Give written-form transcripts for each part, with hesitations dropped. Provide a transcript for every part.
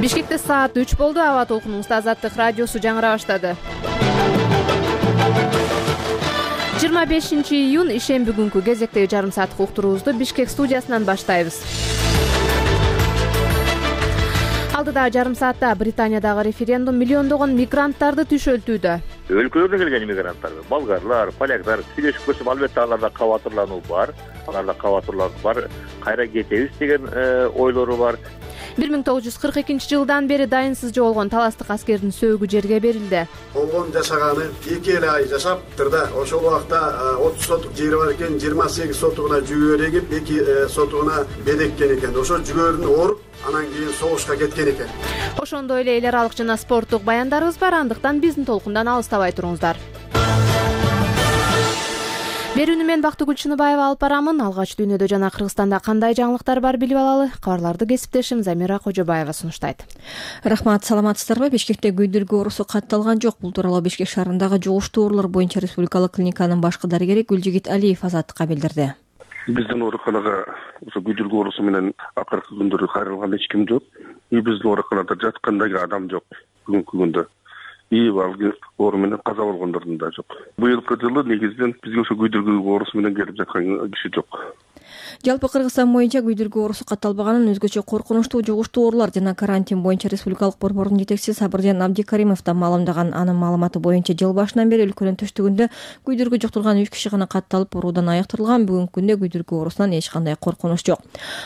Бишкекте саат 3 болду. Аба толкунуңузда Азаттык радиосу жаңыра баштады. 25 июнь ишемби күнкү кезектеги жарым сааттык уктуруубузду Бишкек студиясынан баштайбыз. Алдыда жарым саатта Британиядагы референдум миллиондогон мигранттарды түшөлтүүдө. Өлкөлөрдөн келген мигранттар, болгарлар, поляктар сүйлөшүп көрсөм, албетте аларда кабатырлануу бар. Кайра кетебиз деген ойлору бар. 1942 жылдан бери дайынсыз жоголгон таластык аскердин сөөгү жерге берилди. Болгон жашаганы 2 ай жашаптыр да, ошол убакта 30 сотук жери бар экен, 28 сотугуна жүгөр эгип, 2 сотугуна бедеккен экен. Ошо жүгөрүн ооруп, анан кийин согушка кеткен экен. Ошондой эле эл аралык жана спорттук баяндарыбыз бар, андыктан биздин толкундан алыстабай туруңуздар. Берүүнү мен Бактыгүл Чыныбаева алып барамын. Алгач дүйнөдө жана Кыргызстанда кандай жаңылыктар бар билип алалы. Кабарларды кесиптешим Замира Кожобаева сунуштайт. Рахмат, саламатсыздарбы? Бишкекте күйдүргү оорусу катталган жок. Бул тууралуу Бишкек шаарындагы жугуштуу оорулар боюнча республикалык клиниканын башкы дарыгери Гүлжигит Алиев Азаттыкка билдирди. Биздин ооруканага ошо күйдүргү оорусу менен акыркы күндөрү кайрылган эч ким жок. Биздин ооруканада жаткан дагы адам жок бүгүнкү күндө. Оору менен каза болгондордун да жок. Быйылкы жылы негизинен бизге ошо күйдүргү оорусу менен келип жаткан киши жок. Жалпы Кыргызстан боюнча күйдүргү оорусу катталбаганын, өзгөчө коркунучтуу жугуштуу оорулар жана карантин боюнча республикалык борбордун жетекчиси Сабыржан Абдикаримов да маалымдаган. Анын маалыматы боюнча жыл башынан бери өлкөнүн түштүгүндө күйдүргү жұктурган 3 киши гана катталып, оорудан айыктырылган. Бүгүнкү күндө күйдүргү оорусунан эч кандай коркунуч жок.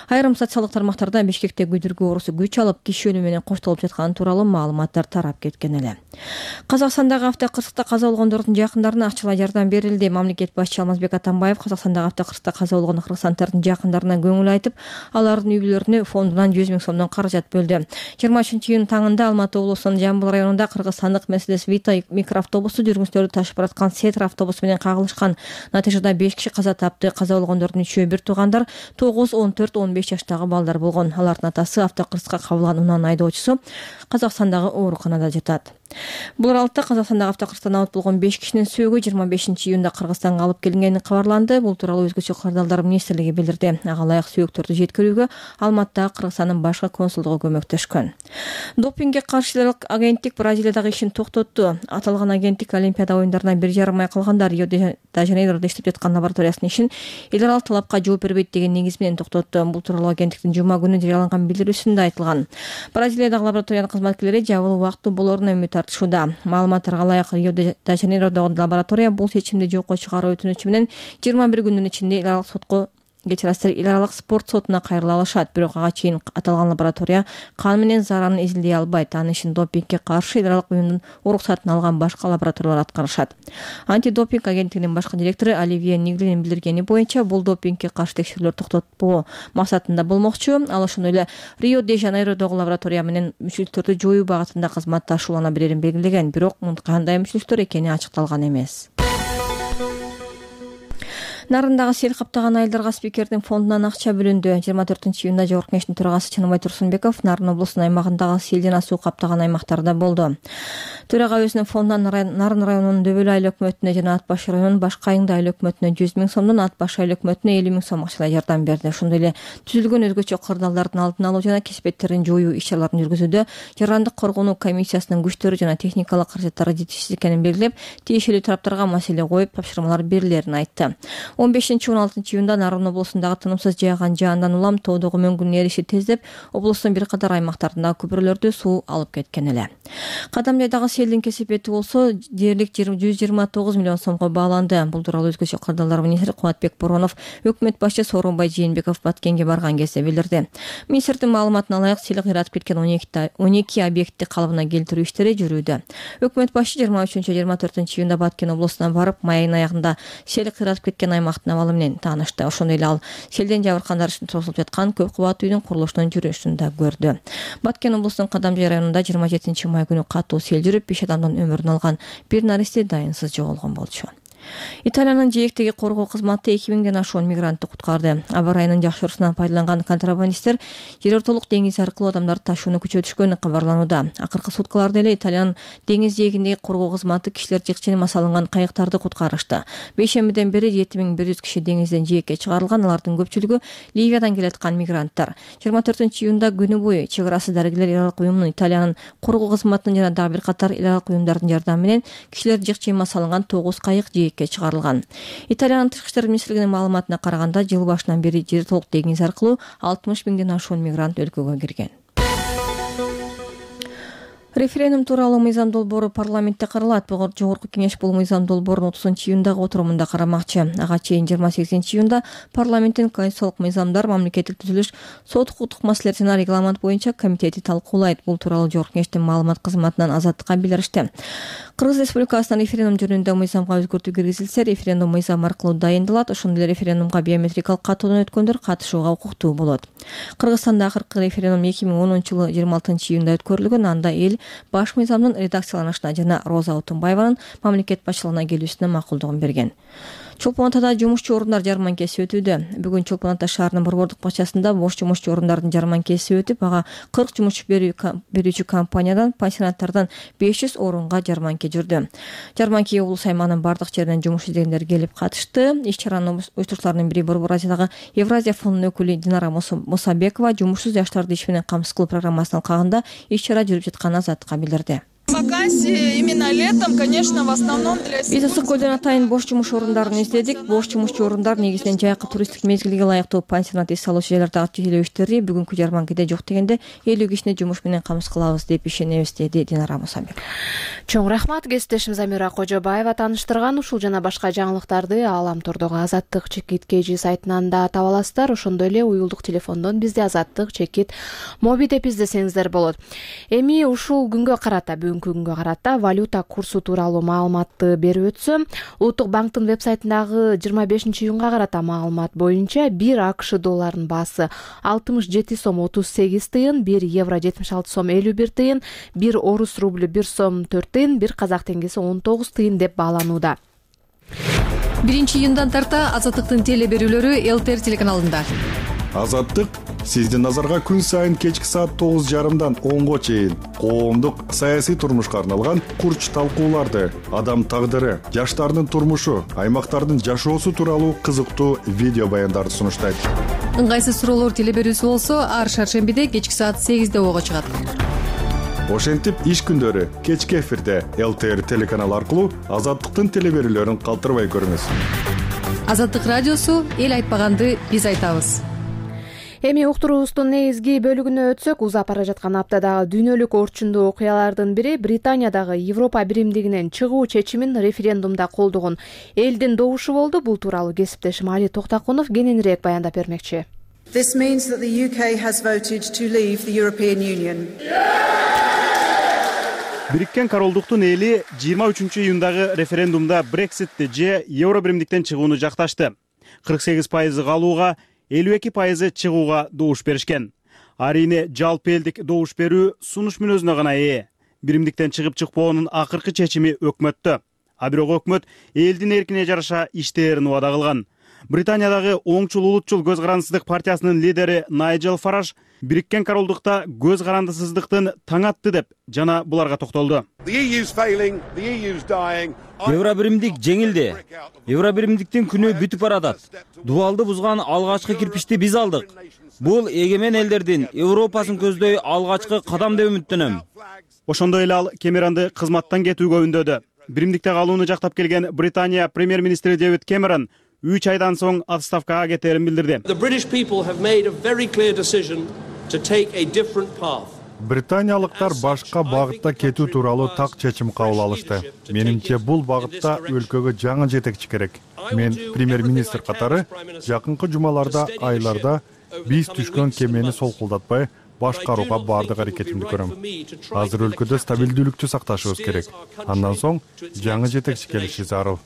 Айрым социалдык тармактарда Бишкекте күйдүргү оорусу күч алып, киши өлүмү менен коштолуп жатканы тууралуу маалыматтар тарап кеткен эле. Казакстандагы автокырсыкта каза болгондордун жакындарына акчалай жардам берилди. Мамлекет башчысы Алмазбек Атамбаев Казакстандагы автокырсыкта каза болгон кыргызстандардын жакындарына көңүл айтып, алардын үй бүлөлөрүнө фондунан 100 000 сомдон каражат бөлдү. 23 июнь таңында Алматы облусунун Жамбыл районунда кыргызстандык Mercedes Vito микроавтобусу жүргүнчүлөрдү ташып бараткан Сетр автобусу менен кагылышкан. Натыйжада 5 киши каза тапты. Каза болгондордун 3-өө бир туугандар, 9, 14, 15 жаштагы балдар болгон. Алардын атасы автокырсыкка кабылган унан айдоочусу Казакстандагы ооруканада жатат. Бул аралыкта Казакстандагы автокырсыктан абат болгон 5 кишинин сөөгү 25 июнда Кыргызстанга алып келингени кабарланды. Бул тууралуу өзгөчө кырдаалдар министрлиги билдирди. Ага ылайык сөөктөрдү жеткирүүгө Алматыдагы Кыргызстандын башкы консулдугу көмөктөшкөн. Допингге каршы агенттик Бразилиядагы ишин токтотту. Аталган агенттик Олимпиада оюндарына 1,5 ай калганда Рио-де-Жанейрода иштеп жаткан лабораториясынын ишин эл аралык талапка жооп бербейт деген негиз менен токтотту. Бул тууралуу агенттиктин жума күнү жарыяланган билдирүүсүндө айтылган. Бразилиядагы лабораториянын кызматкерлери жабылуу убактуу болоруна үмүт артышууда. Маалыматтарга ылайык Рио-де-Жанейродогу лаборатория бул чечимди жокко чыгаруу өтүнүчү менен 21 күндүн ичинде эл аралык сотко эл аралык спорт сотуна кайрыла алышат. Бирок ага чейин аталган лаборатория кан менен заранын изилдей албайт. Анын ишин допингге каршы эл аралык уюмдун уруксатын алган башка лабораториялар аткарышат. Антидопинг агенттигинин башкы директору Оливье Ниглинин билдиргени боюнча, бул допингге каршы текшерүүлөр токтотпоо максатында болмокчу. Ал ошондой эле Рио-де-Жанейродогу лаборатория менен мүчүлүктөрдү жоюу багытында кызматташуулана берерин белгилеген. Бирок кандай мүчүлүктөр экени ачыкталган эмес. Нарындагы сел каптаган айылдарга спикердин фондунан акча бөлүндү. 24 июнда Жогорку Кеңештин төрагасы Чыныбай Турсунбеков Нарын облусунун аймагындагы сел жана суу каптаган аймактарда болду. Төрага өзүнүн фондунан Нарын районунун Дөбөл айыл өкмөтүнө жана Ат Баш районунун Башкы Айыңды айыл өкмөтүнө 100 000 сомдон, Ат Баш айыл өкмөтүнө 50 000 сом акчалай жардам берди. Ошондой эле түзүлгөн өзгөчө кырдаалдардын алдын алуу жана кесепеттерин жоюу иш-чараларын жүргүзүүдө жарандык коргонуу комиссиясынын күчтөрү жана техникалык каражаттары жетишсиз экенин белгилеп, тиешелүү тараптарга маселе коюп, тапшырмалар берилерин айтты. 15-16 июнда Нарын облусундагы тынымсыз жааган жаандан улам тоодогу мөңгүнүн эриши тездеп, облустун бир катар аймактарындагы көпүрөлөрдү суу алып кеткен эле. Кадамжайдагы селдин кесепети болсо дээрлик 129 миллион сомго бааланды. Бул тууралуу өзгөчө кырдаалдар министри Кубатбек Боронов өкмөт башчы Сооронбай Жээнбеков Баткенге барган кезде билдирди. Министрдин маалыматына ылайык сел кыйратып кеткен 12 объектти калыбына келтирүү иштери жүрүүдө. Өкмөт башчы 23-24 июнда Баткен облусуна барып, май айынын аягында сел кыйратып кеткен аймактын абалы менен таанышты. Ошондой эле ал селден жабыркандар үчүн тургузулуп жаткан көп кабаттуу үйдүн курулушунун жүрүшүн да көрдү. Баткен облусунун Кадамжай районунда 27 май күнү катуу сел жүрүп, 5 адамдын өмүрүн алган. Bir наристе дайынсыз жоголгон болчу. Италиянын жээктеги коргоо кызматы 2000ден ашуун мигрантты куткарды. Аба ырайынын жакшыруусунан пайдаланган контрабандисттер жер ортолук деңиз аркылуу адамдарды ташууну күчөтүшкөнү кабарланууда. Акыркы суткаларда эле Италиянын деңиз жээгиндеги коргоо кызматы кишилер жыкченема салынган кайыктарды куткарышты. Бейшембиден бери 7100 киши деңизден жээкке чыгарылган. Алардын көпчүлүгү Ливиядан келаткан мигранттар. 24-июнда күнү бою чек арасы дарыгерлер эл аралык уюмунун, Италиянын коргоо кызматынын жана дагы бир катар эл аралык уюмдардын жардамы менен кишилер жыкченема салынган 9 кайык жээкке чыгарылган. Италиянын тышкы иштер министрлигинин маалыматына караганда, жыл башынан бери жер толук деңиз аркылуу 60 миңден ашуун мигрант өлкөгө кирген. Референдум тууралуу мыйзам долбоору парламентте каралат. Жогорку кеңеш бул мыйзам долбоорун 30-июндагы отурумунда карамакчы. Ага чейин 28-июнда парламенттин конституциялык мыйзамдар, мамлекеттик түзүлүш, сот укуктук маселелер жана регламент боюнча комитети талкуулайт. Бул тууралуу жогорку кеңештин маалымат кызматынан Азаттыкка билдиришти. Кыргыз Республикасынын референдум жөнүндө мыйзамга өзгөртүү киргизилсе, референдум мыйзам аркылуу дайындалат. Ошондой эле референдумга биометрикалык катуудан өткөндөр катышууга укуктуу болот. Кыргызстанда акыркы референдум 2010-жылы 26-июнда өткөрүлгөн. Анда эл баш мыйзамдын редакцияланышына жана Роза Отунбаеванын мамлекет башчылыгына келүүсүнө макулдугун берген. Чолпон Атада жумушчу орундар жарманкеси өтүүдө. Бүгүн Чолпон Ата шаарынын борбордук бакчасында бош жумушчу орундардын жарманкеси өтүп, ага 40 жумуш берүүчү компаниядан, пансионаттардан 500 орунга жарманке жүрдү. Жарманкеге облус аймагынын бардык жеринен жумуш издегендер келип катышты. Иш-чаранын уюштуруучуларынын бири Борбор Азиядагы Евразия фондунун өкүлү Динара Мусабекова жумушсуз жаштарды иш менен камсыз кылуу программасынын алкагында иш-чара жүрүп жатканын Азаттыкка билдирди. Вакансии именно летом, конечно, в основном для... Биз Ысык көлдөн атайын бош жумуш орундарын издедик. Бош жумушчу орундар негизинен жайкы туристтик мезгилге ылайыктуу пансионат эс алуучу жайлардагы төлөбүштөрү бүгүнкү жарманкеде жок дегенде 50 кишини жумуш менен камсыз кылабыз деп ишенебиз, деди Динара Мусабек. Чоң рахмат. Кесиптешим Замира Кожобаева тааныштырган ушул жана башка жаңылыктарды Ааламтордогу Азаттык чекит KG сайтынан да таба аласыздар. Ошондой эле уюлдук телефондон бизде Азаттык чекит моби деп издесеңиздер болот. Эми ушул күнгө карата, күнгө карата валюта курсу тууралуу маалыматты берип өтсөм, Улуттук банктын веб-сайтындагы 25-июнга карата маалымат боюнча 1 АКШ долларынын баасы 67 сом 38 тыйын, 1 евро 76 сом 51 тыйын, 1 орус рубль 1 сом 4 тыйын, 1 казак теңгеси 19 тыйын деп бааланууда. 1-июндан тарта Азаттыктын теле берүүлөрү ЛТР телеканалында. Азаттык сиздин назарга күн сайын кечки саат 9:30дан 10го чейин коомдук саясий турмушка арналган курч талкууларды, адам тагдыры, жаштардын турмушу, аймактардын жашоосу тууралуу кызыктуу видео баяндарды сунуштайт. Ыңгайсыз суроолор теле берүүсү болсо, ар шаршембиде кечки саат 8де ого чыгат. Ошентип иш күндөрү кечки эфирде ЛТР телеканалы аркылуу Азаттыктын теле берүүлөрүн калтырбай көрүңүз. Азаттык радиосу эл айтпаганды биз айтабыз. Эми уктуруубуздун негизги бөлүгүнө өтсөк, узап бара жаткан аптадагы дүйнөлүк орчундуу окуялардын бири Британиядагы Европа биримдигинен чыгуу чечимин референдумда колдогон элдин добушу болду. Бул тууралуу кесиптешим Али Токтакунов кененирээк баяндап бермекчи. This means that the UK has voted to leave the European Union. Бириккен Королдуктун эли 23-июндагы референдумда Брекситти же Евро биримдиктен чыгууну жакташты. 48% калууга, 52% чыгууга добуш беришкен. Арине жалпы элдик добуш берүү сунуш мүнөзүнө гана ээ. Биримдиктен чыгып чыкпоонун акыркы чечими өкмөттө. А бирок өкмөт элдин эркине жараша иштээрин убада кылган. Британиядагы оңчул улутчул көз карандысыздык партиясынын лидери Найджел Фараж Бириккен Королдукта көз карандысыздыктын таң атты деп жана буларга токтолду. Евро биримдик жеңилди. Евро биримдиктин күнү бүтүп баратат. Дубалды бузган алгачкы кирпичти биз алдык. Бул эгемен элдердин Европасын көздөй алгачкы кадам деп үмүттөнөм. Ошондой эле ал Кемеронду кызматтан кетүүгө үндөдү. Биримдикте калууну жактап келген Британия премьер-министри Дэвид Кэмерон 3 айдан соң отставкага кетерин билдирди. Британиялыктар башка багытта кетүү тууралуу так чечим кабыл алышты. Менимче бул багытта өлкөгө жаңы жетекчи керек. Мен премьер-министр катары жакынкы жумаларда, айларда биз түшкөн кемени солкулдатпай башкарууга бардык аракетимди көрөм. Азыр өлкөдө стабилдүүлүктү сакташыбыз керек. Андан соң жаңы жетекчи келиши зарыл.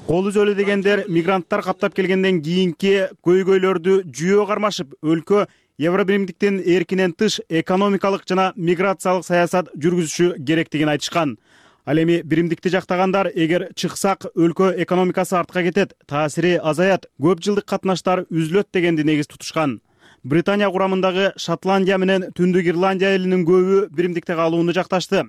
Кол үзөлү дегендер мигранттар каптап келгенден кийинки көйгөйлөрдү жүйөө кармашып, өлкө Евро биримдиктин эркинен тыш экономикалык жана миграциялык саясат жүргүзүшү керектигин айтышкан. Ал эми биримдикти жактагандар эгер чыксак өлкө экономикасы артка кетет, таасири азаят, көп жылдык катнаштар үзүлөт дегенди негиз тутушкан. Британия курамындагы Шотландия менен Түндүк Ирландия элинин көбү биримдикте калууну жакташты.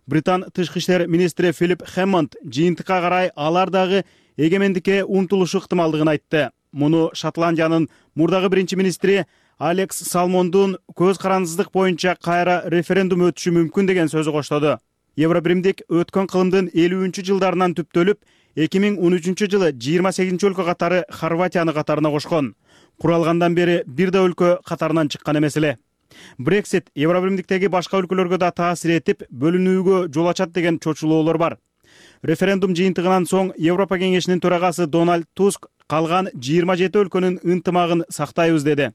Британ тышкы иштер министри Филипп Хэммонд жыйынтыкка карай алар дагы эгемендикке умтулушу ыктымалдыгын айтты. Муну Шотландиянын мурдагы биринчи министри Алекс Салмондун көз карандысыздык боюнча кайра референдум өтүшү мүмкүн деген сөзү коштоду. Евробиримдик өткөн кылымдын 50-жылдарынан түптөлүп, 2013 жылы 28 өлкө катары Хорватияны катарына кошкон. Куралгандан бери бир да өлкө катарынан чыккан эмес эле. Брексит Евробиримдиктеги башка өлкөлөргө да таасир этип, бөлүнүүгө жол ачат деген чочулоолор бар. Референдум жыйынтыгынан соң Европа кеңешинин төрагасы Дональд Туск калган 27 өлкөнүн ынтымагын сактайбыз деди.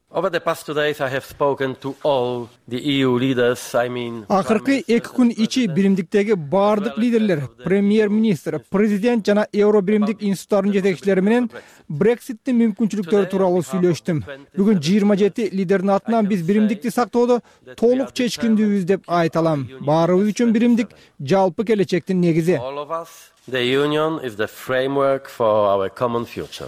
Акыркы 2 күн ичи биримдиктеги баардык лидерлер, премьер-министр, президент жана Евробиримдик институттарынын жетекчилери менен Брекситтин мүмкүнчүлүктөрү тууралуу сүйлөштүм. Бүгүн 27 лидердин атынан биз биримдикти сактоодо толук чечкиндүүбүз деп айта алам. Баарыбыз үчүн биримдик жалпы келечектин негизи.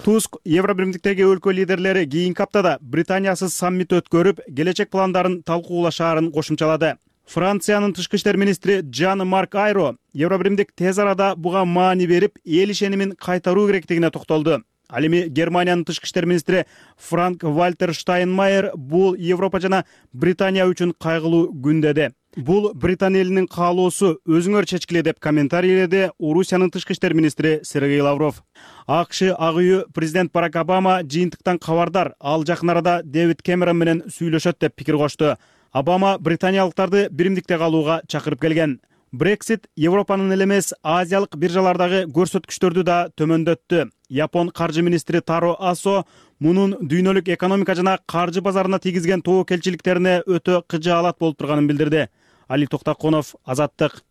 Туск Евробиримдиктеги өлкө лидерлери кийинки аптада Британиясыз саммит өткөрүп, келечек пландарын талкуулашаарын кошумчалады. Франциянын тышкы иштер министри Жан Марк Айро Евробиримдик тез арада буга маани берип, эл ишенимин кайтаруу керектигине токтолду. Ал эми Германиянын тышкы иштер министри Франк Вальтер Штайнмайер бул Европа жана Британия үчүн кайгылуу күн деди. Бул Британ элинин каалоосу, өзүңөр чечкиле деп комментарийледи Орусиянын тышкы иштер министри Сергей Лавров. АКШ ак үйү президент Барак Обама жыйынтыктан кабардар, ал жакын арада Дэвид Кэмерон менен сүйлөшөт деп пикир кошту. Обама британиялыктарды биримдикте калууга чакырып келген. Брексит Европанын эле эмес, азиялык биржалардагы көрсөткүчтөрдү да төмөндөттү. Япон каржы министри Таро Асо мунун дүйнөлүк экономика жана каржы базарына тийгизген тобокелчиликтерине өтө кыжаалат болуп турганын билдирди. Али Токтаконов, Азаттык.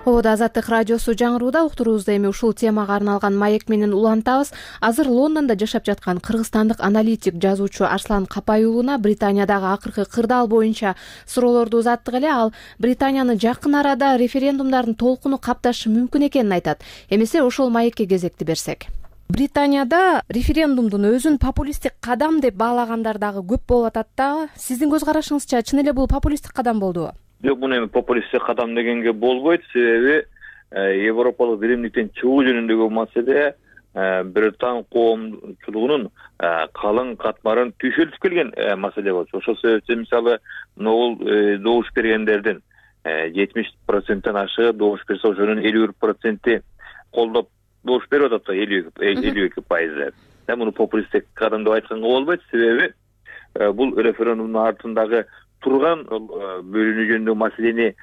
Ободо Азаттык радиосу жаңырууда, уктуруубузда эми ушул темага арналган маек менен улантабыз. Азыр Лондондо жашап жаткан кыргызстандык аналитик, жазуучу Арслан Капай уулуна Британиядагы акыркы кырдаал боюнча суроолорду узаттык эле. Ал Британияны жакын арада референдумдардын толкуну капташы мүмкүн экенин айтат. Эмесе ошол маекке кезекти берсек. Британияда референдумдун өзүн популисттик кадам деп баалагандар дагы көп болуп атат да. Сиздин көз карашыңызча чын эле бул популисттик кадам болдубу? Жок, муну эми популисттик кадам дегенге болбойт. Себеби Европалык биримдиктен чыгуу жөнүндөгү маселе Британ коомчулугунун калың катмарын түйшөлтүп келген маселе болчу. Ошол себептен мисалы могул добуш бергендердин 70%тен ашыгы добуш берсе, ошонун 51% колдоп добуш берип атат, 52%. Муну популисттик кадам деп айтканга болбойт. Себеби бул референдумдун артындагы турган бөлүнүү жөнүндөгү маселени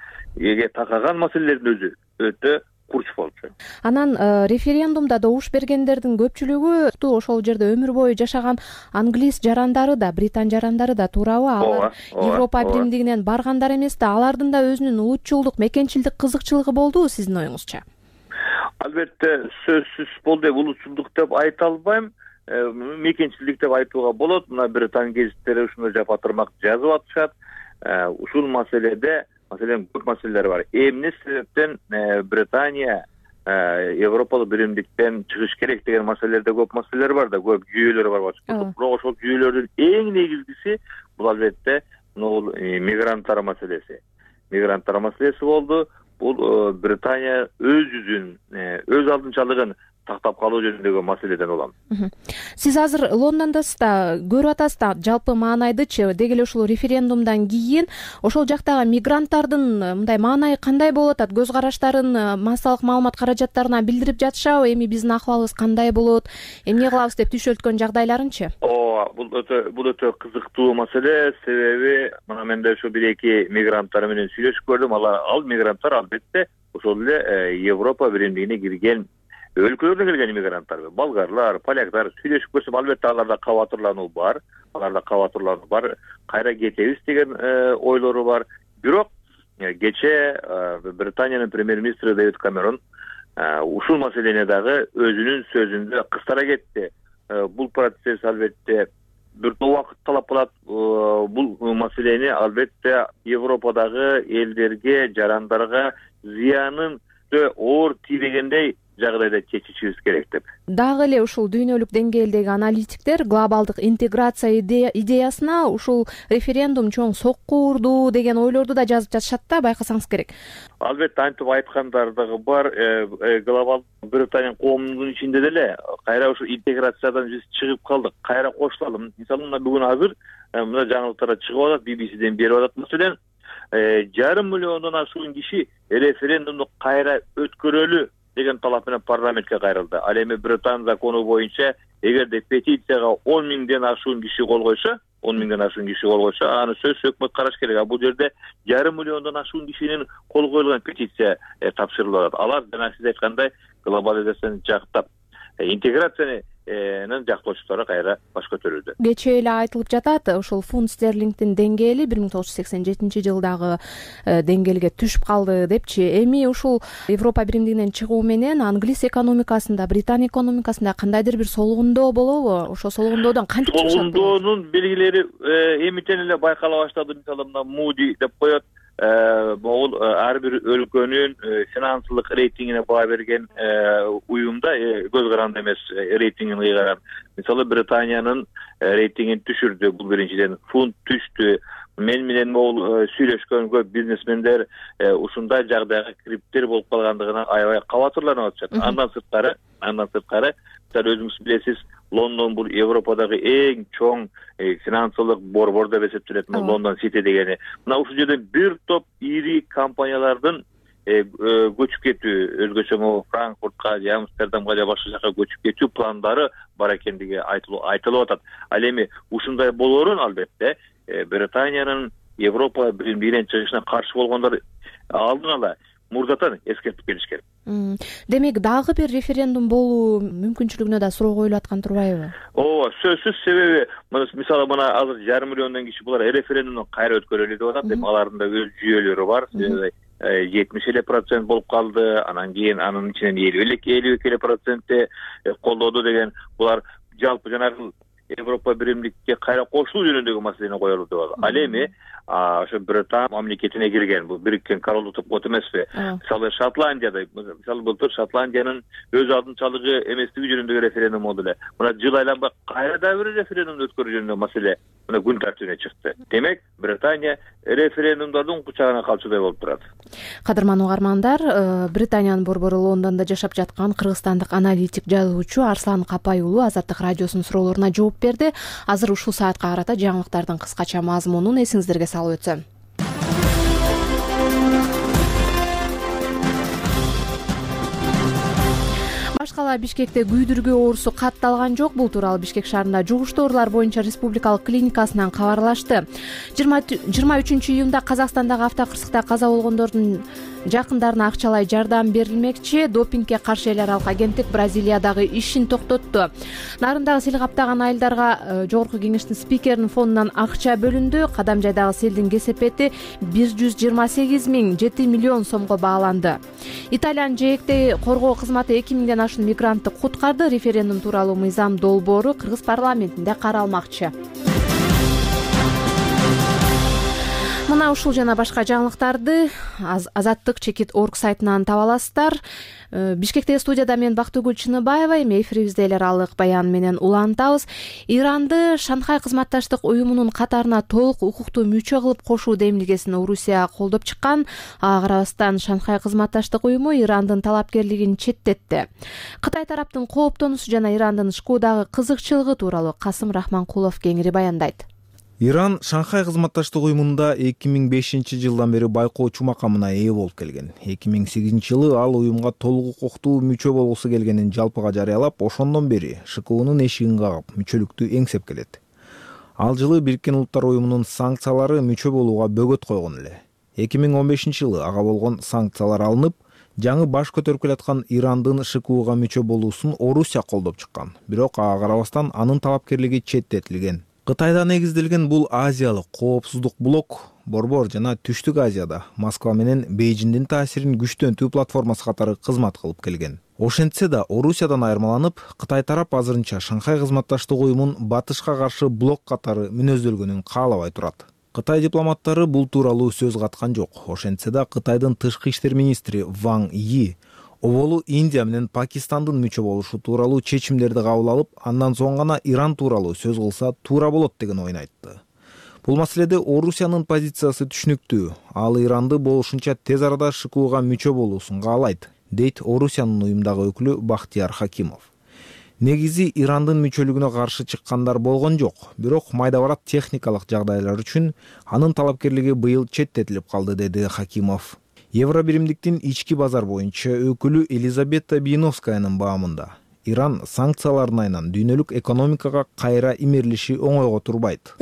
такаган маселелердин өзү өтө курч болчу. Анан референдумда добуш бергендердин көпчүлүгү ошол жерде өмүр бою жашаган англис жарандары да, британ жарандары да, туурабы? Алар Европа биримдигинен баргандар эмес да, алардын да өзүнүн улутчулдук, мекенчилдик кызыкчылыгы болдубу сиздин оюңузча? Албетте сөзсүз болду, улутчулдук деп айта албайм. Мекенчилдик деп айтууга болот. Мына Британ гезиттери ушундай жапатырмак жазып атышат. Ушул маселеде, маселен, көп маселелер бар. Эмне себептен Британия Европалык биримдиктен чыгыш керек деген маселелерде көп маселелер бар да, көп жүйөлөр бар. Бирок ошол жүйөлөрдүн эң негизгиси бул албетте мигранттар маселеси. Мигранттар маселеси болду. Бул Британия өз жүзүн, өз алдынчалыгын тактап калуу жөнүндөгү маселеден улам. Сиз азыр Лондондосуз да, көрүп атасыз да жалпы маанайдычы, деги эле ушул референдумдан кийин ошол жактагы мигранттардын мындай маанайы кандай болуп атат? Көз караштарын массалык маалымат каражаттарына билдирип жатышабы? Эми биздин акыбалыбыз кандай болот? Эмне кылабыз деп түшөлткөн жагдайларынчы? Бул өтө кызыктуу маселе. Себеби мына мен да ошо бир-эки мигранттар менен сүйлөшүп көрдүм. Ал мигранттар албетте ошол эле Европа биримдигине кирген өлкөлөрдөн келген иммигранттар, болгарлар, поляктар. Сүйлөшүп көрсөм, албетте аларда кабатырлануу бар. Кайра кетебиз деген ойлору бар. Бирок кечээ Британиянын премьер-министри Дэвид Кэмерон ушул маселени дагы өзүнүн сөзүндө кыстара кетти. Бул процесс албетте бир топ убакыт талап кылат. Бул маселени албетте Европадагы элдерге, жарандарга зыянын оор тийбегендей жагдайда чечишибиз керек деп. Дагы эле ушул дүйнөлүк деңгээлдеги аналитиктер глобалдык интеграция идеясына ушул референдум чоң сокку урду деген ойлорду да жазып жатышат да, байкасаңыз керек. Албетте антип айткандар дагы бар. Глобал Британия коомунун ичинде деле кайра ушул интеграциядан биз чыгып калдык, кайра кошулалы. Мисалы мына бүгүн азыр мына жаңылыктарда чыгып атат, BBC'ден берип атат. Маселен, 5,5 миллиондон ашуун киши референдумду кайра өткөрөлү деген талап менен парламентке кайрылды. Ал эми Британ закону боюнча эгерде петицияга 10 миңден ашуун киши кол койсо, аны сөзсүз өкмөт караш керек. А бул жерде 5,5 миллиондон ашуун кишинин кол коюлган петиция тапшырылып атат. Алар жана сиз айткандай глобализацияны жактап, интеграцияны жактоочулары кайра баш көтөрүүдө. Кечээ эле айтылып жатат, ушул фунт стерлингдин деңгээли 1987-жылдагы деңгээлге түшүп калды депчи. Эми ушул Европа биримдигинен чыгуу менен англис экономикасында, Британия экономикасында кандайдыр бир солгундоо болобу? Ошо солгундоодон кантип чыгышат? Солгундоонун белгилери эмитен эле байкала баштады. Мисалы мына Moody деп коет. Бул ар бир өлкөнүн финансылык рейтингине баа берген уюмда көз каранды эмес рейтингин кыйгарат. Мисалы Британиянын рейтингин түшүрдү. Бул биринчиден фунт түштү. Мен менен могул сүйлөшкөн көп бизнесмендер ушундай жагдайга кириптер болуп калгандыгына аябай кабатырланып атышат. Андан сырткары мисалы өзүңүз билесиз, Лондон бул Европадагы эң чоң финансылык борбор деп эсептелет. Лондон Сити дегени. Мына ушул жерден бир топ ири компаниялардын көчүп кетүү, өзгөчө могу Франкфуртка, Амстердамга же башка жака көчүп кетүү пландары бар экендиги айтылып атат. Ал эми ушундай болоорун албетте Британиянын Европа биримдигинен чыгышына каршы болгондор алдын ала мурдатан эскертип келишкен. Демек дагы бир референдум болуу мүмкүнчүлүгүнө да суроо коюлуп аткан турбайбы? Ооба, сөзсүз. Себеби мисалы мына азыр 5,5 миллиондон киши булар референдумду кайра өткөрөлү деп атат. Алардын да өз жүйөлөрү бар. 70% болуп калды, анан кийин анын ичинен 52% колдоду деген. Булар жалпы жанагы Европа биримдикке кайра кошулуу жөнүндөгү маселени коелу деп атат. Ал эми ошо Британ мамлекетине кирген, бул Бириккен Королдук деп коет эмеспи? Мисалы Шотландияда, былтыр Шотландиянын өз алдынчалыгы эместиги жөнүндөгү референдум болду эле. Мына жыл айланбай кайра да бир референдумду өткөрүү жөнүндө маселе мына күн тартибине чыкты. Демек, Британия референдумдардын кучагына калчудай болуп турат. Кадырман угармандар, Британиянын борбору Лондондо жашап жаткан кыргызстандык аналитик жазуучу Арслан Капай уулу Азаттык радиосунун суроолоруна жооп берди. Азыр ушул саатка карата жаңылыктардын кыскача мазмунун эсиңиздерге салып өтсөм. Башкала Бишкекте күйдүргү оорусу катталган жок. Бул тууралуу Бишкек шаарында жугуштуу оорулар боюнча республикалык клиникасынан кабарлашты. 23-июнда Казакстандагы автокырсыкта каза болгондордун жакындарына акчалай жардам берилмекчи. Допингге каршы эл аралык агенттик Бразилиядагы ишин токтотту. Нарындагы сел каптаган айылдарга жогорку кеңештин спикеринин фондунан акча бөлүндү. Кадам жайдагы селдин кесепети 128,7 миллион сомго бааланды. Италиянын жээкти коргоо кызматы 2 миңден ашуун мигрантты куткарды. Референдум тууралуу мыйзам долбоору Кыргыз парламентинде каралмакчы. Мына ушул жана башка жаңылыктарды Азаттык чекит орг сайтынан таба аласыздар. Бишкектеги студияда мен Бактыгүл Чыныбаева, эми эфирибизде эл аралык баян менен улантабыз. Иранды Шанхай кызматташтык уюмунун катарына толук укуктуу мүчө кылып кошуу демилгесин Орусия колдоп чыккан. Ага карабастан Шанхай кызматташтык уюму Ирандын талапкерлигин четтетти. Кытай тараптын кооптонуусу жана Ирандын ШКУдагы кызыкчылыгы тууралуу Касым Рахманкулов кеңири баяндайт. Иран Шанхай кызматташтык уюмунда 2005-жылдан бери байкоочу макамына ээ болуп келген. 2008-жылы ал уюмга толук укуктуу мүчө болгусу келгенин жалпыга жарыялап, ошондон бери ШКУнун эшигин кагып, мүчөлүктү эңсеп келет. Ал жылы Бириккен Улуттар уюмунун санкциялары мүчө болууга бөгөт койгон эле. 2015-жылы ага болгон санкциялар алынып, жаңы баш көтөрүп келаткан Ирандын ШКУга мүчө болуусун Орусия колдоп чыккан. Бирок ага карабастан анын талапкерлиги четтетилген. Кытайда негизделген бул азиялык коопсуздук блок борбор жана Түштүк Азияда Москва менен Бейжиңдин таасирин күчтөнтүү платформасы катары кызмат кылып келген. Ошентсе да Орусиядан айырмаланып, Кытай тарап азырынча Шанхай кызматташтык уюмун батышка каршы блок катары мүнөздөлгөнүн каалабай турат. Кытай дипломаттары бул тууралуу сөз каткан жок. Ошентсе да Кытайдын тышкы иштер министри Ван Yi оболу Индия менен Пакистандын мүчө болушу тууралуу чечимдерди кабыл алып, андан соң гана Иран тууралуу сөз кылса туура болот деген ойун айтты. Бул маселеде Орусиянын позициясы түшүнүктүү. Ал Иранды болушунча тез арада ШКУга мүчө болуусун каалайт, дейт Орусиянын уюмдагы өкүлү Бахтияр Хакимов. Негизи Ирандын мүчөлүгүнө каршы чыккандар болгон жок, бирок майда-барат техникалык жагдайлар үчүн анын талапкерлиги быйыл четтетилип калды, деди Хакимов. Евробиримдиктин ички базар боюнча өкүлү Елизавета Биновскаянын баамында Иран санкциялардын айынан дүйнөлүк экономикага кайра имерлиши оңойго турбайт.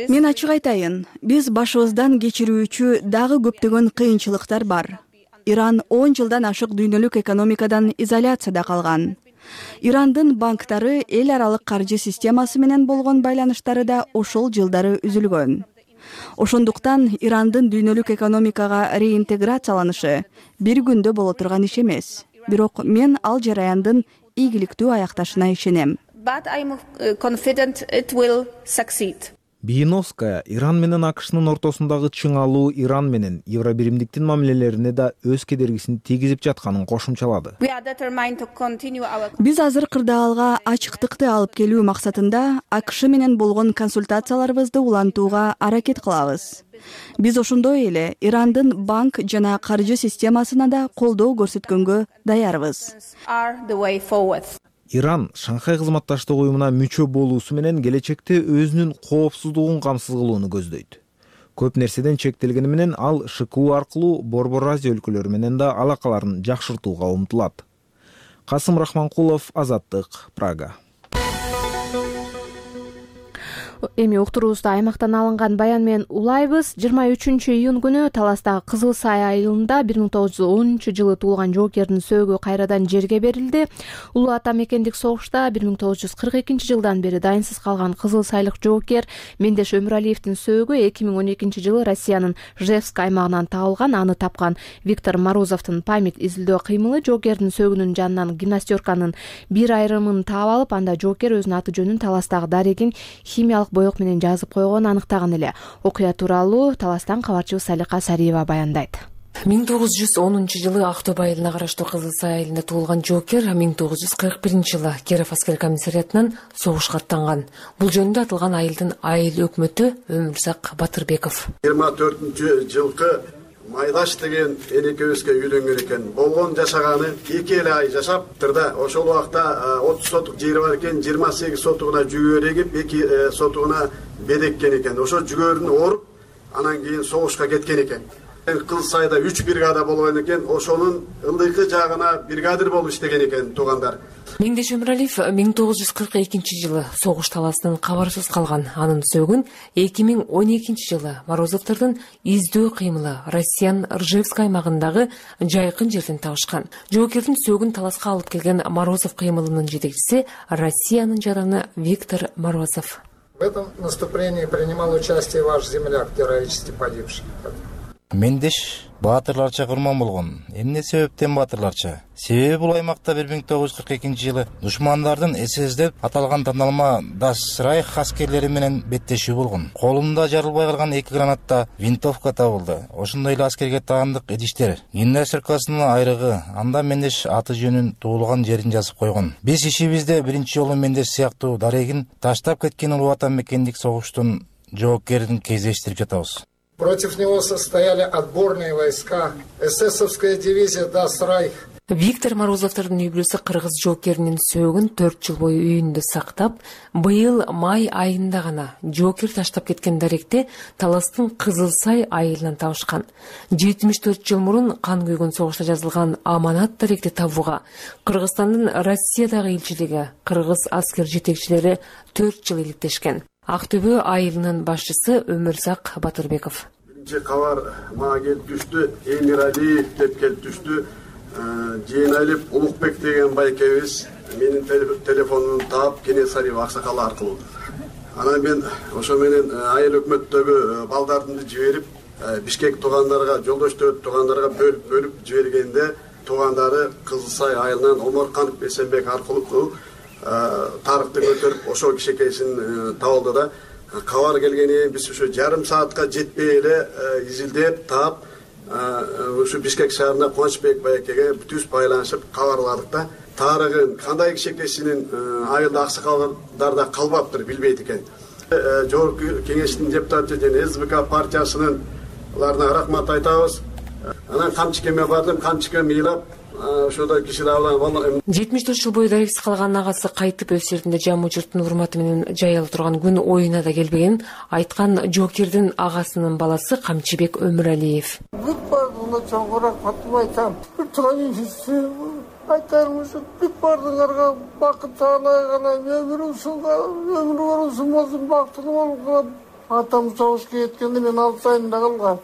Мен ачык айтайын, биз башыбыздан кечирүүчү дагы көптөгөн кыйынчылыктар бар. Иран 10 жылдан ашык дүйнөлүк экономикадан изоляцияда калган. Ирандын банктары эл аралык каржы системасы менен болгон байланыштары да ошол жылдары үзүлгөн. Ошондуктан Ирандын дүйнөлүк экономикага реинтеграцияланышы бир күндө боло турган иш эмес. Бирок мен ал жараяндын ийгиликтүү аякташына ишенем. Биновская Иран менен АКШнын ортосундагы чыңалуу Иран менен Евробиримдиктин мамилелерине да өз кедергисин тийгизип жатканын кошумчалады. Биз азыр кырдаалга ачыктыкты алып келүү максатында АКШ менен болгон консультацияларыбызды улантууга аракет кылабыз. Биз ошондой эле Ирандын банк жана каржы системасына да колдоо көрсөткөнгө даярбыз. Иран Шанхай кызматташтык уюмуна мүчө болуусу менен келечекте өзүнүн коопсуздугун камсыз кылууну көздөйт. Көп нерседен чектелгени менен ал ШКУ аркылуу Борбор Азия өлкөлөрү менен да алакаларын жакшыртууга умтулат. Касым Рахманкулов, Азаттык, Прага. Эми уктуруубузду аймактан алынган баян менен улайбыз. 23-июнь күнү Таластагы Кызыл Сай айылында 1910-жылы туулган жоокердин сөөгү кайрадан жерге берилди. Улуу ата мекендик согушта 1942-жылдан бери дайынсыз калган Кызыл Сайлык жоокер Мендеш Өмүралиевдин сөөгү 2012-жылы Россиянын Ижевск аймагынан табылган. Аны тапкан Виктор Морозовдун память изилдөө кыймылы жоокердин сөөгүнүн жанынан гимнастерканын бир айрымын таап алып, анда жоокер өзүнүн аты жөнүн Таластагы дарегин химиялык боек менен жазып койгон аныктаган эле. Окуя тууралуу Таластан кабарчыбыз Салика Сариева баяндайт. 1910-жылы Актобе айылына караштуу Кызыл Сай айылында туулган жоокер 1941-жылы Киров аскер комиссариатынан согушка аттанган. Бул жөнүндө атылган айылдын айыл өкмөтү Өмүрзак Батырбеков. 24-жылкы Майдаш деген энекебизге үйлөнгөн экен. Болгон жашаганы 2 ай жашаптыр да. Ошол убакта 30 сотук жери бар экен, 28 сотугуна жүгөр эгип, 2 сотугуна бедеккен экен. Ошо жүгөрүн оруп, анан кийин согушка кеткен экен. Кызыл Сайда 3 бригада болгон экен. Ошонун ылдыйкы жагына бригадир болуп иштеген экен туугандар. Мендеш Өмүралиев 1942-жылы согуш таласынан кабарсыз калган. Анын сөөгүн 2012-жылы Морозовдордун издөө кыймылы Россиянын Ижевск аймагындагы жайкын жерден табышкан. Жоокердин сөөгүн таласка алып келген Морозов кыймылынын жетекчиси Россиянын жараны Виктор Морозов. В этом наступлении принимал участие ваш земляк, героически погибший. Мендеш баатырларча курман болгон. Эмне себептен баатырларча? Себеби бул аймакта 1942-жылы душмандардын СС деп аталган тандалма Das Reich аскерлери менен беттешүү болгон. Колунда жарылбай калган 2 гранатта винтовка табылды. Ошондой эле аскерге таандык идиштер, гимнастеркасынын айрыгы, анда Мендеш аты жөнүн, туулган жерин жазып койгон. Биз ишибизде биринчи жолу Мендеш сыяктуу дарегин таштап кеткен улуу ата мекендик согуштун жоокерин кездештирип жатабыз. Против него состояли отборные войска, эсэсовская дивизия Das Reich. Виктор Морозовдордун үй бүлөсү кыргыз жоокеринин сөөгүн 4 жыл бою үйүндө сактап, быйыл май айында гана жоокер таштап кеткен даректи Таластын Кызыл Сай айылынан табышкан. 74 жыл мурун кан күйгөн согушта жазылган аманат даректи табууга Кыргызстандын Россиядагы элчилиги, кыргыз аскер жетекчилери 4 жыл иликтешкен. Актобе айылынын башчысы Өмүрзак Батырбеков. Биринчи кабар мага келип түштү, Эмиралиев деп келип түштү. Жээналип Улукбек деген байкебиз менин телефонумду таап Кенесарев аксакалы аркылуу. Анан мен ошо менен айыл өкмөттөгү балдардымды жиберип, Бишкек туугандарга, жолдоштор туугандарга бөлүп жибергенде туугандары Кызыл Сай айылынан Оморканов Эсенбек аркылуу тарыхты көтөрүп ошол кичекейсин табылды да. Кабар келгени биз ушу жарым саатка жетпей эле изилдеп таап ушу Бишкек шаарына Кубанычбек байекеге бүтүбүз байланышып кабарладык да. Тарыгын кандай кичекейсинин айылда аксакалдарда калбаптыр билбейт экен. Жогорку кеңештин депутаты жана СБК партиясынынларына рахмат айтабыз. Анан камчыкеме бардым, камчыкем ыйлап ошодо киши дагы 74 жыл бою дарексиз калган агасы кайтып өз жеринде жамуу журттун урматы менен жайыла турган күн оюна да келбегенин айткан жоокердин агасынын баласы Камчыбек Өмүралиев. Бүт бардыгына чоңгур рахматымды айтам. Айтарым ушу бүт бардыгыңарга бакыт таанайгана өмүр болсун болсун бактылуу болуп атам согушка кеткенде мен 6 айында калгам.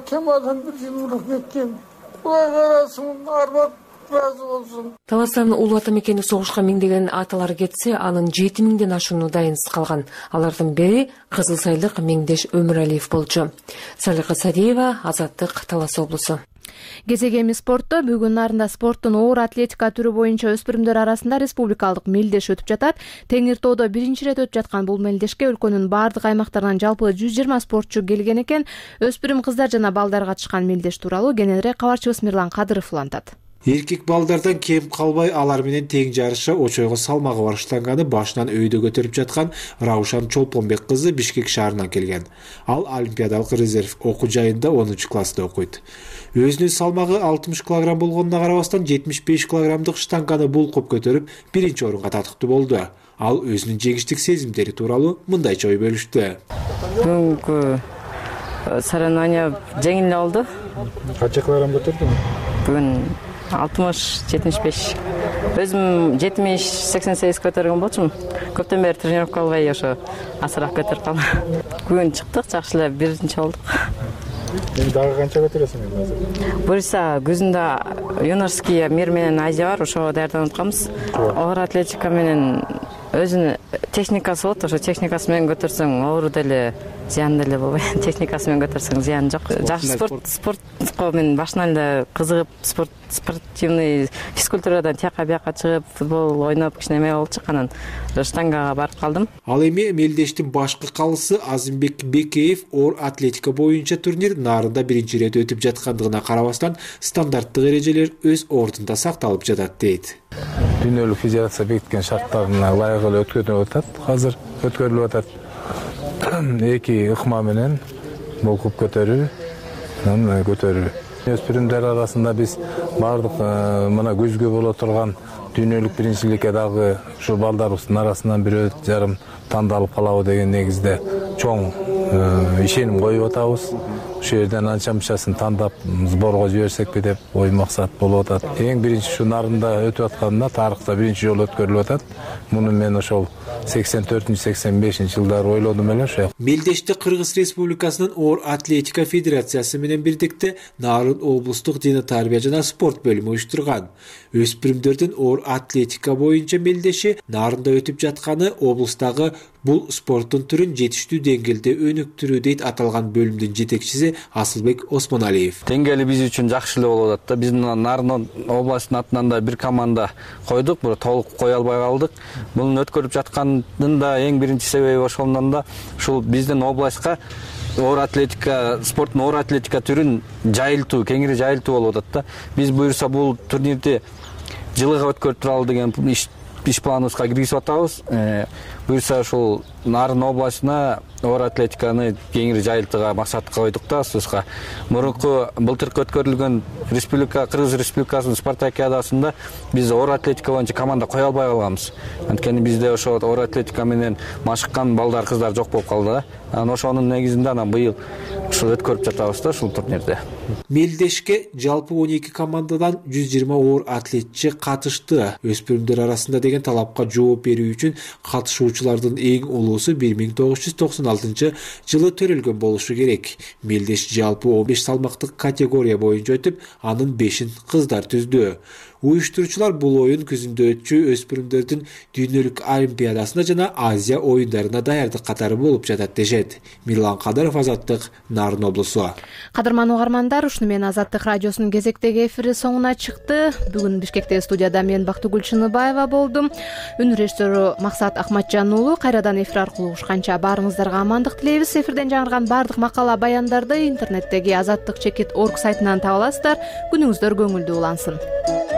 Кемадан бир жыл мурун кеткен. Кудай карасын, арбап разы болсун. Таластардын улуу ата мекени согушка миңдеген аталар кетсе, анын 7000ден ашууну дайынсыз калган. Алардын бири Кызыл Сайлык Меңдеш Өмүралиев болчу. Салика Садиева, Азаттык, Талас облусу. Кезек эми спортто. Бүгүн нарында спорттун оор атлетика түрү боюнча өспүрүмдөр арасында республикалык мелдеш өтүп жатат. Теңир тоодо биринчи ирет өтүп жаткан бул мелдешке өлкөнүн бардык аймактарынан жалпы 120 спортчу келген экен. Өспүрүм кыздар жана балдар катышкан мелдеш тууралуу кененирээк кабарчыбыз Мирлан Кадыров улантат. Эркек балдардан кем калбай алар менен тең жарышка очойго салмагы баштанганы башынан өйдө көтөрүп жаткан Раушан Чолпонбек кызы Бишкек шаарынан келген. Ал Олимпиадалык резерв окуу жайында 10-класста окуйт. Өзүнүн салмагы 60 кг болгонуна карабастан 75 кг штанганы булкуп көтөрүп биринчи орунга татыктуу болду. Ал өзүнүн жеңиштик сезимдери тууралуу мындайча ой бөлүштү. Бүгүнкү соревнование жеңил болду. Канча килограмм көтөрдүң? Бүгүн 60-75. Өзүм 70-88 көтөргөн болчумун. Көптөн бери тренировка албай ошо асыраак көтөрүп калдым. Бүгүн чыктык, жакшы эле биринчи болдук. Дагы канча көтөрөсүң азыр? Буюрса күзүндө юношеский мир менен Азия бар, ошого даярданып атканбыз. Оор атлетика менен өзүнүн техникасы болот, ошо техникасы менен көтөрсөң оору деле, зыян деле болбойт. Техникасы менен көтөрсөң зыян жок. Жакшы спортко мен башынан эле кызыгып, спортивный физкультурадан тияка бияка чыгып, футбол ойноп кичине болуп чыкканын штангага барып калдым. Ал эми мелдештин башкы калысы Азимбек Бекеев оор атлетика боюнча турнир нарында биринчи ирет өтүп жаткандыгына карабастан стандарттык эрежелер өз ордунда сакталып жатат дейт. Дүйнөлүк федерация бекиткен шарттарына ылайык эле өткөрүлүп атат. Азыр өткөрүлүп атат. 2 ыкма менен булкуп көтөрүү, Өспүрүмдөр арасында биз бардык мына көзгө боло турган дүйнөлүк биринчиликке дагы ушу балдарыбыздын арасынан 1,5 тандалып калабы деген негизде чоң ишеним коюп атабыз. Ошол жерден анча-мынчасын тандап сборго жиберсекпи деп ой максат болуп атат. Эң биринчи ушу нарында өтүп атканда тарыхта биринчи жолу өткөрүлүп атат. Муну мен ошол 84-85 жылдары ойлодум эле ошо. Мелдеште Кыргыз Республикасынын оор атлетика федерациясы менен бирдикте Нарын облустук дене тарбия жана спорт бөлүмү уюштурган. Өспүрүмдөрдүн оор атлетика боюнча мелдеши нарында өтүп жатканы облустагы бул спорттун түрүн жетиштүү деңгээлде өнүктүрүү дейт аталган бөлүмдүн жетекчиси Асылбек Осмоналиев. Деңгээли биз үчүн жакшы эле болуп атат да. Биздин Нарын областынын атынан да бир команда койдук, бирок толук кое албай калдык. Мунун өткөрүп жаткандын да эң биринчи себеби ошондон да ушул биздин областка оор атлетика, спорттун оор атлетика түрүн жайылтуу, кеңири жайылтуу болуп атат да. Биз буюрса бул турнирди жылыга өткөрүп туралы деген иш планыбызга киргизип атабыз. Буюрса ушул Нарын областына оор атлетиканы кеңири жайылтууга максат койдук да сөзгө. Мурунку былтыркы өткөрүлгөн Кыргыз Республикасынын спартакиадасында биз оор атлетика боюнча команда кое албай калганбыз. Анткени бизде ошо оор атлетика менен машыккан балдар, кыздар жок болуп калды да. Анан ошонун негизинде анан быйыл ушул өткөрүп жатабыз да ушул турнирде. Мелдешке жалпы 12 командадан 120 оор атлетчи катышты. Өспүрүмдөр арасында деген талапка жооп берүү үчүн катышуучулардын эң улуусу 1996 жылы төрөлгөн болушу керек. Мелдеш жалпы 15 салмактык категория боюнча өтүп, анын 5-ин кыздар түздү. Уюштуруучулар бул оюн күзүндө өтчү өспүрүмдөрдүн дүйнөлүк олимпиадасына жана Азия оюндарына даярдык катары болуп жатат дешет. Мирлан Кадыров, Азаттык, Нарын облусу. Кадырман угармандар, ушуну менен Азаттык радиосунун кезектеги эфири соңуна чыкты. Бүгүн Бишкектеги студияда мен Бактыгүл Чыныбаева болдум. Үн режиссеру Максат Акматжан уулу. Кайрадан эфир аркылуу угушканча баарыңыздарга амандык тилейбиз. Эфирден жаңырган баардык макала баяндарды интернеттеги azattik.org сайтынан таба аласыздар. Күнүңүздөр көңүлдүү улансын.